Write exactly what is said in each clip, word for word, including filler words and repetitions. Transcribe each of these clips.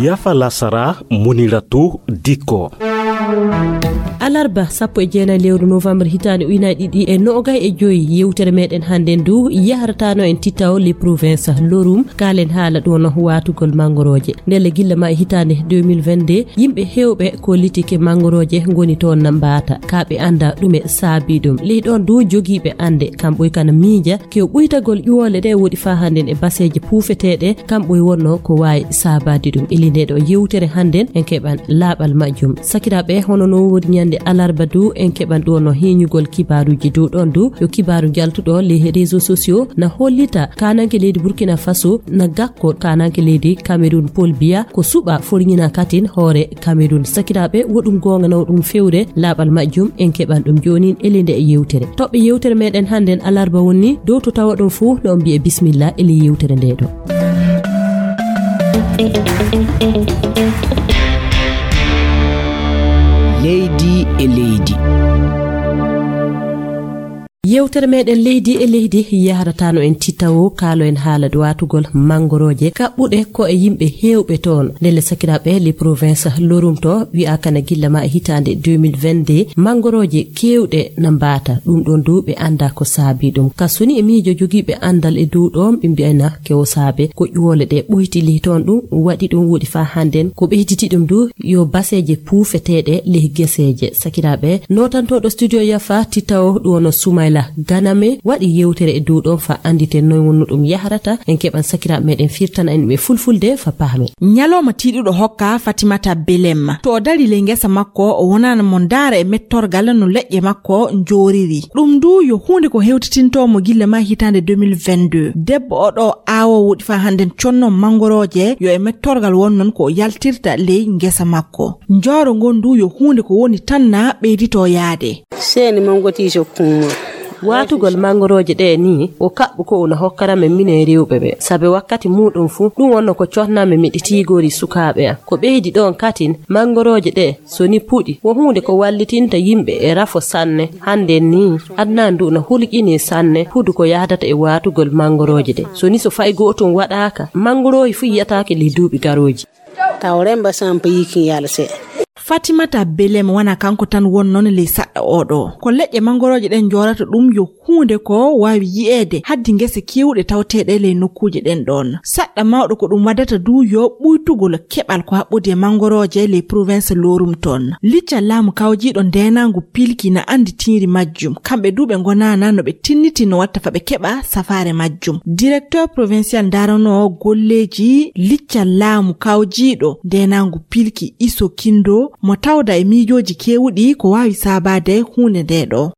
Yafa lasara, Muniratu Dikko. Alarba sappo e jeenayi lewru novembre hitaande ujunaaji ɗiɗi e noogay e joy, yewtere meɗen hannden du yahrataano en Tittawo, les provinces Lorum. Kaalen haala ɗo no waatugol manngorooje. Ndelle gilla ma e hitaande deux mille vingt-deux, yimɓe heewɓe ko litike manngorooje ngoni toon na mbaata. Ka ɓe annda ɗume saabi ɗum. Ley ɗoon du jogiiɓe annde, kam ɓoy kana miija kew ɓuytagol ƴuwoole ɗe woɗi faa hannden e baseeje puufeteeɗe, kam ɓoy wonno ko waawi saabaade ɗum. Ili nde ɗo yewtere hannden en keɓan laaɓal majjum. Sakiraaɓe, hono no woodi ñande alarba du, en keɓan ɗo no heeñugol kibaaruuji du ɗoon du. Yo kibaaru jaltuɗo les réseaux sociaux na hollita kaananke leydi Burkina Faso na gakko kaananke leydi Cameroun Paul Biya ko suɓa forñina katin hoore Cameroun. Sakiraaɓe, wo ɗum goonga naw ɗum fewre laaɓal majjum, en keɓan ɗum joonin ele nde e yewtere. Toɓɓe yewtere meɗen hannden alarba woni dow to tawa ɗum fuu no on mbiye bismillah ele yewtere nde ɗo. Leydi e leydi. Yewtere meɗen leydi e leydi yahrataano en Tittawo, kaalo en haala waatugol manngorooje kaɓɓuɗe ko e yimɓe heewɓe toon. Ndelle sakiraaɓe, les provinces Lorum to wi'aa kana gilla ma e hitaande deux mille vingt-deux, manngorooje keewɗe na mbaata. Ɗum ɗoon du ɓe annda ko saabi ɗum. Ka soni e miijo jogiiɓe anndal e dow ɗoon, ɓe mbi'ayna kewo saabe ko ƴuwoole ɗe ɓoytili toon. Ɗum waɗi ɗum woɗi faa hannden ko ɓeyditi ɗum du yo baseeje puufeteeɗe ley geseeje. Sakiraaɓe, nootantooɗo studio Yafa Tittawo, ɗum wono Sumayla Ganame, waɗi yewtere e dow ɗoon faa annditen noy wonno ɗum yahrata. En keɓan sakiraaɓe meɗen firtana en ɗum e fulfulde faa paamen. Ñalawma tiiɗuɗo hokka Fatimata Belem. To o dari ley ngesa makko, o wonaana mo ndaara e mettorgal no leƴƴe makko njooriri. Ɗum du yo huunde ko hewtitintoo mo gilla ma hitaande deux mille vingt-deux. Debbo o ɗo aawo woɗi faa hannden conno manngorooje, yo e mettorgal won noon ko o yaltirta ley ngesa makko. Njooro ngon du yo huunde ko woni tan na ɓeyditoo yaade. Seeni manngoti so kuma. Waatugol manngorooje ɗe ni, o kaɓɓu ko una hokkara men minen rewɓe ɓe. Sabe wakkati muuɗum fuu, ɗum wonno ko cotnaa men miɗi tiigoori sukaaɓe am. Ko ɓeydi ɗoon katin, manngorooje ɗe, so ni puɗi, wo huunde ko wallitinta yimɓe e rafo sanne. Hannden ni, aduna ndu na hulƴini sanne, hudu ko yahdata e waatugol manngorooje ɗe. So ni so fay gootum waɗaaka, manngoroohi fuu yiyataake ley duuɓi garooji. Taw remba sampa yikin yalse. Fatimata Belem wona kanko tan won noon ley saɗɗa oo ɗoo. Ko leƴƴe manngorooje ɗen njoorata ɗum yo huunde ko waawi yi'eede haddi ngese keewɗe tawteeɗe ley nokkuuje ɗen ɗoon. Saɗɗa mawɗo ko ɗum waddata du yo ɓuytugol keɓal ko haɓɓodi e manngorooje ley province Lorum toon. Licca laamu kawjiiɗo ndeenaangu pilki na anndi tiiri majjum. Kamɓe du ɓe ngonaana no ɓe tinniti no watta fa ɓe keɓa safaare majjum. Directeur provincial ndaranoo golleeji licca laamu kawjiiɗo ndeenaangu pilki Iso Kindo mo tawda e miijooji keewuɗi ko waawi saabaade huunde nde ɗo.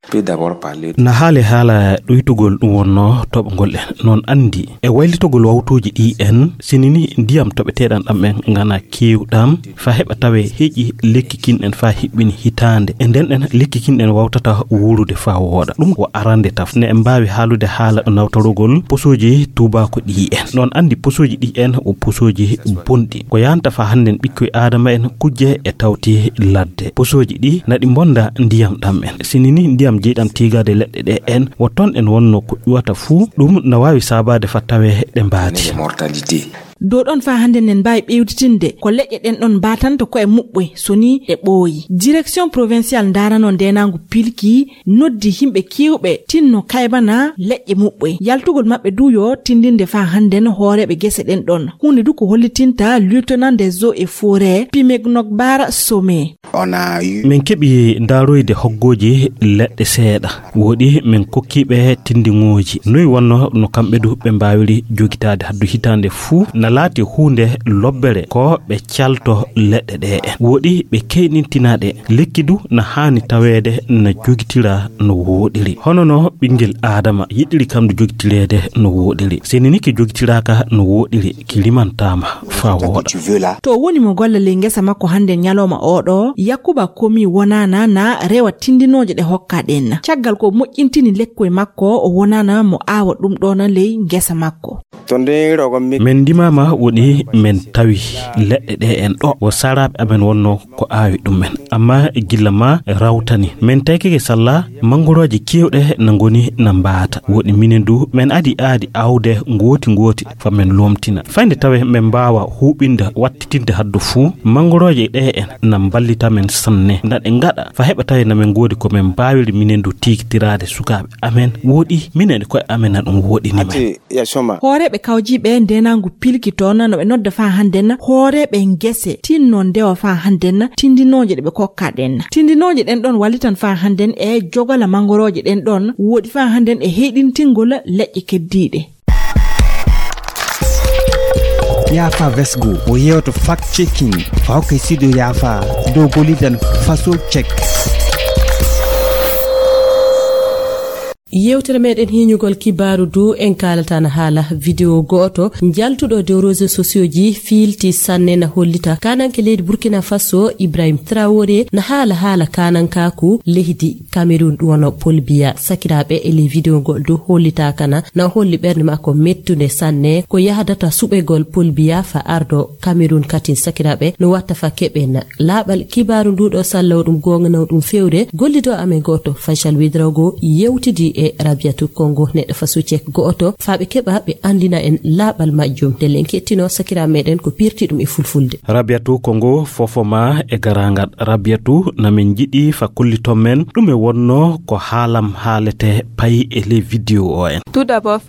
Na haale haala ɗuytugol ɗum wonno toɓngol en. Noon anndi e waylitogol wawtuuji ɗi en, sini ni ndiyam toɓeteeɗam ɗam en ngana keewɗam, fa heɓa tawe heƴi lekki kin en fa hiɓɓini hitaande. E nden ɗen lekki kin en wawtata wuurude fa wooɗa. Ɗum ko arande taf. Ne en mbaawi haalude haala nawtorogol posooji tuubaako ɗi en. Noon anndi posooji ɗi en o posooji bonɗi. Ko yahanta fa hannden ɓikkoy Aadama en kujje e tawti ladde. Posooji ɗi naɗi mbonda ndiyam ɗam en. Sini ni ndiyam jeyɗam tiigaade leɗɗe ɗe en, wo toon en wonno ko ƴuwata fuu, ɗum na waawi saabaade fa tawe ɗe mbaati. Dow ɗon fa hannden nen mbaawi ɓeyditinde ko leƴƴe ɗen ɗon mbaatanta ko e muɓɓoy so ni ɗe ɓooyi. Direction provincial ndaranoo ndeenaangu pilki noddi yimɓe keewɓe tinno kaybana leƴƴe muɓɓoy. Yaltugol maɓɓe du yo tindinde fa hannden hooreeɓe gese ɗen ɗon. Huunde du ko hollitinta lieutenant des eaux et forêts Pimegnok Bara Somé. Min keɓi ndaaroyde hoggooji leɗɗe seeɗa. Woɗi min kokki ɓe tindiŋooji. Noy wonno no kamɓe du ɓe mbaawiri jogitaade haddu hitaande fuu na laati huunde lobbere ko ɓe calto leɗɗe ɗe en. Woɗi ɓe keyɗintina ɗe. Lekki du na haani taweede na jogitira no wooɗiri. Hono no ɓinngel Aadama yiɗiri kam du jogitireede no wooɗiri. Seni ni ki jogitiraaka no wooɗiri, ki limantaama faa wooɗa. To woni mo golla ley ngesa makko hannde ñalooma oo ɗoo, Yakuba Komi wonaana na rewa tindinooje ɗe hokka ɗen. Caggal ko moƴƴintini lekkoy makko, o wonaana mo aawa ɗum ɗoon ley ngesa makko. Min ndimaama Ma woni men tawi leɗɗe ɗe en ɗo, wo saraaɓe amen wonno ko aawi ɗum en. Amma gilla ma rawtani, men taykike salla manngorooje keewɗe na ngoni na mbaata. Woni minen du, men adi aadi aawde ngooti ngooti fa men lomtina. Fayde tawe men mbaawa huuɓinde, wattitinde haddo fuu, manngorooje ɗe en na mballita men sanne. Na ɗe ngaɗa fa heɓa tawi na men ngoodi ko men mbaawiri minen du tiigtiraade sukaaɓe amen. Wooɗi minen e koye amen na ɗum wooɗini men. Hooreeɓe kawjiiɓe ndeenaangu pilki toon no ɓe nodda faa hannden hooreeɓe ngese tinno ndewa faa hannden tindinooje ɗe ɓe kokka ɗen. Tindinooje ɗen ɗon wallitan faa hannden e jogala manngorooje ɗen ɗon wooɗi faa hannden e heyɗintingol leƴƴe keddiiɗe. Yaafa Vesgo o yeewto fact checking fa hokkay sido yaafa dow gollidan faso check. Yewtere meɗen hiñugol kibaaru du en kaalata na haala video go'oto njaltuɗo dow réseaux sociaux ji fiilti sanne na hollita kananke leydi Burkina Faso Ibrahim Traoré na haala haala kanankaaku leydi Cameroun ɗum wono Paul Biya. Sakiraaɓe e ley video ngol du hollitaaka na na holli ɓernde makko mettunde sanne ko yahdata suɓegol Paul Biya fa ardo Cameroun katin sakiraaɓe no watta fa keɓen laaɓal kibaaru ndu ɗo sallawo ɗum goonga naw ɗum fewre gollido amen gooto Faisal Widrago yewtidi e Rabiatu Kongo neɗɗo fa succek go'oto fa ɓe keɓa ɓe andina en laaɓal majjum ndelle en kettino sakira meɗen ko pirti ɗum e fulfulde. Rabiatu Kongo fofo ma e garangal Rabiatu na min jiɗi fa kulliton men ɗum e wonno ko haalam haalete payi e ley video o en.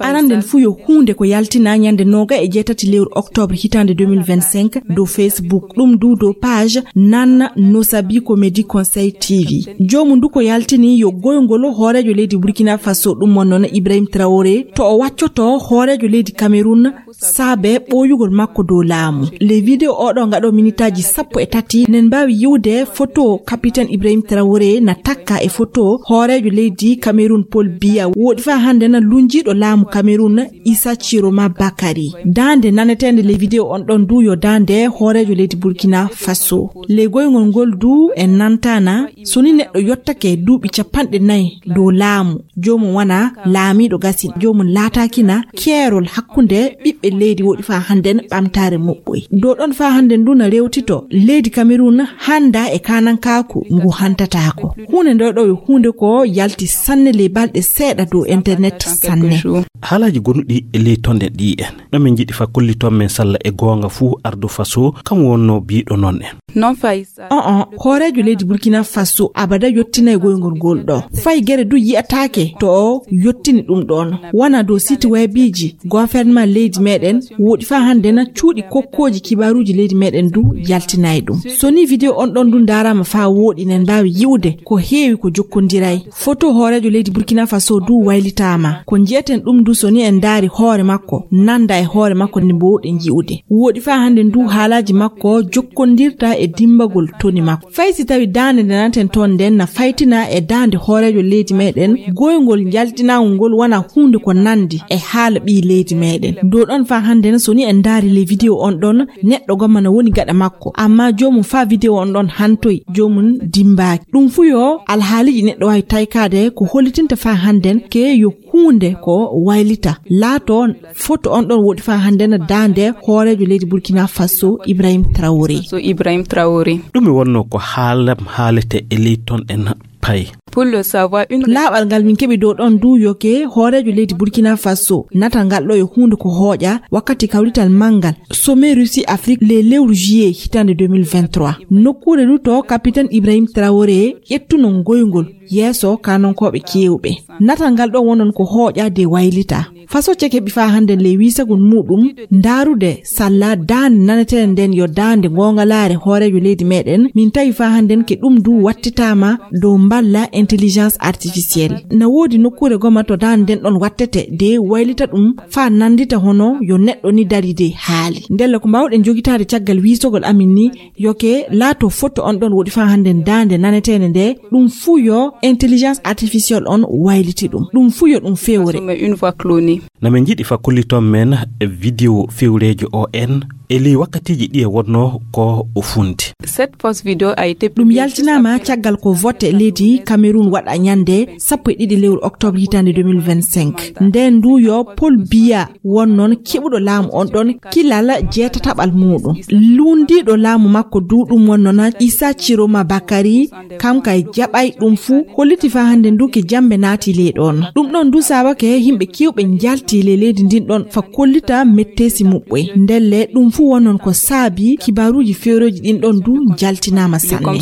Aranden fuu yo huunde ko yaltina ñande nooga e jeetati lewru octobre hitaande deux mille vingt-cinq dow Facebook ɗum du dow page Nan Nosabi Comedy Conseil T V. Joomu ndu ko yaltini yo goyngol hooreejo leydi Burkina Faso ɗum wonno na Ibrahim Traoré to o waccoto hooreejo leydi Cameroun saabe ɓooyugol makko dow laamu. Le video oɗo ngaɗo minitaaji sappo e tati nen mbaawi yiwde photo capitaine Ibrahim Traoré na takka e photo hooreejo leydi Cameroun Paul Biya wooɗi faa hannde na lunjiiɗo laamu Cameroun Issa Chiroma Bakary. Daande naneteende ley video on ɗon du yo daande hooreejo leydi Burkina Faso. Ley goyngol ngol du en nantana so ni neɗɗo yottake duuɓi capanɗe nayi dow laamu, joomum wana laamiiɗo gasin, joomum laataakina keerol hakkunde ɓiɓɓe leydi woɗi faa hannden ɓamtaare moɓɓoy. Dow ɗon faa hannden du na rewtito leydi Cameroun hannda e kaanankaaku ngu hantataako. Huunde ndo ɗo yo huunde ko yalti sanne ley balɗe seeɗa dow internet sanne. Haalaaji gonuɗi e ley tonɗe ɗi en. No min njiɗi fa kolliton men salla e goonga fuu ardu faso kam wonno biiɗo non en. Non fay sa. On on hooreejo leydi Burkina Faso abada yottinay goyngol ngol ɗo. Fay gere du yi'ataake to o yottini ɗum ɗon. Wona dow site webiji gouvernement leydi meɗen woɗi fa hande na cuuɗi kokkooji kibaruuji leydi meɗen du yaltinay ɗum. So ni video on ɗon du ndaarama fa woɗi nen mbaawi yi'ude ko heewi ko jokkondiray. Foto hooreejo leydi Burkina Faso du waylitaama. Ko nji'eten ɗum du so ni en ndaari hoore makko nanda e hoore makko nde mboɗen yi'ude. Woɗi faa hande ndu haalaaji makko jokkondirta e dimbagol toni makko. Fay si tawi daande nde nanten toon nden na faytina e daande hooreejo leydi meɗen, goyngol njaltinaangol ngol wona huunde ko nandi e haala ɓii leydi meɗen. Dow ɗon faa hande na so ni en ndaari le video on ɗon, neɗɗo gomma na woni gaɗa makko. Amma joomum faa video on ɗon hantoy, joomum dimbaaki. Ɗum fuu yo alhaaliji neɗɗo waawi taykaade ko hollitinta faa handen ke yo huunde ko waylita. Laato foto on ɗon woɗi faa hande na daande hooreejo leydi Burkina Faso Ibrahim Traoré. So Ibrahim Traoré. Ɗum mi wonno ko haalam haalete e ley ton en pay. Pour le savoir, une laaɓal ngal min keɓi dow ɗon du yoke hooreejo leydi Burkina Faso natal ngal ɗo e huunde ko hooƴa wakkati kawrital manngal sommet Russie Afrique le lewru juillet hitande deux mille vingt-trois. Nokkuure du to capitaine Ibrahim Traoré ƴettuno ngoyngol yeeso kanankooɓe keewɓe. Natal ngal ɗo wonon ko hooƴa de waylita. Faso cek heɓi faa hande le wiisagol muɗum ndaarude salla daande naneteende nden yo daande ngongalaare hooreejo leydi meɗen. Min tawi faa handen ke ɗum du wattitaama dow mballa intelligence artificielle. Na woodi nokkuure goma to daande nden ɗon wattete de waylita ɗum faa nandita hono yo neɗɗo ni dari de haali. Ndelle ko mbaawɗen jogitaade caggal wiisogol amin ni yoke laato foto on ɗon woɗi faa hande daande naneteende nde ɗum fuu yo intelligence artificielle on wayliti ɗum. Ɗum fuu yo ɗum fewre. Une voix clonée. Na min njiɗi fa kolliton men video fewreejo o en E ley wakkatiiji ɗi e wonnoo ko o funti. Cette post vidéo a été ɗum yaltinaama caggal ko vote leydi Cameroun waɗa ñande sappo e ɗiɗi lewru octobre hitaande deux mille vingt-cinq. Nden ndu yo Paul Biya won noon keɓuɗo laamu on ɗon kilal jeetataɓal muuɗum. Luundiiɗo laamu makko du ɗum won noon Issa Chiroma Bakari, kam kay jaɓay ɗum fuu, holliti faa hannde ndu ke jambe naati ley ɗon. Ɗum ɗon du saabake yimɓe keewɓe njalti ley leydi ndin ɗon fa kollita metteesi muɓɓoy. Ndelle ɗum fuu won noon ko saabi kibaaruuji feerooji ɗin ɗon du njaltinaama sanne.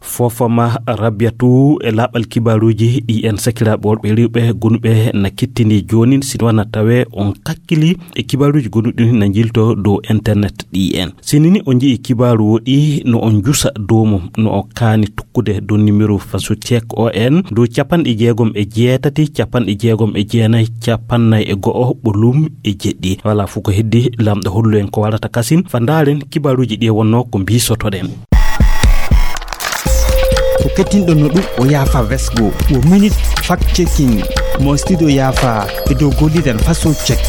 Fofoma Rabiatu e laaɓal kibaaruuji ɗi en sakiraaɓe worɓe rewɓe gonuɓe na kettini joonin, sino wana tawe on kakkili e kibaaruuji gonuɗi na njilto dow internet ɗi en. Sinini o nji'i kibaaru woɗi no on njusa dow mum, no o kaani tokkude dow numéro faso check O N dow capanɗe jeegom e jeetati, capanɗe jeegom e jeenayi, capannay e go'o, ɓolum e jeɗɗi. Wala fof ko heddi, lamɗo hollu en ko warata kasin, fa ndaaren kibaaruuji ɗi e wonno ko mbiisotoɗen. Ko kettinɗon no ɗum o yaafa vesgo, wo minute fact checking, mo studio yaafa e dow gollidan faso check.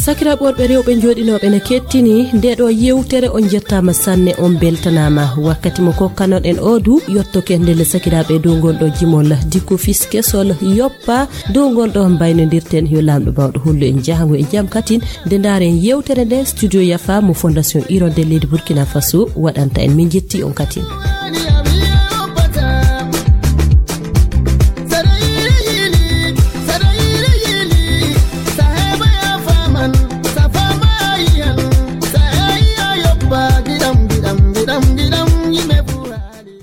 Sakiraaɓe worɓe rewɓe jooɗinooɓe ne kettini nde ɗo yewtere, on jettaama sanne, on beltanaama. Wakkati mo kokkanoɗen o du yottoke ndelle sakiraaɓe dow ngol ɗo jimol dikko fis kesol yoppa dow ngol ɗo mbaynodirten yo Laamɗo bawɗo hollu en jahango e jam katin nde ndaaren yewtere nde studio yafa mo Fondation Hirondelle leydi Burkina Faso waɗanta en. Min jetti on katin.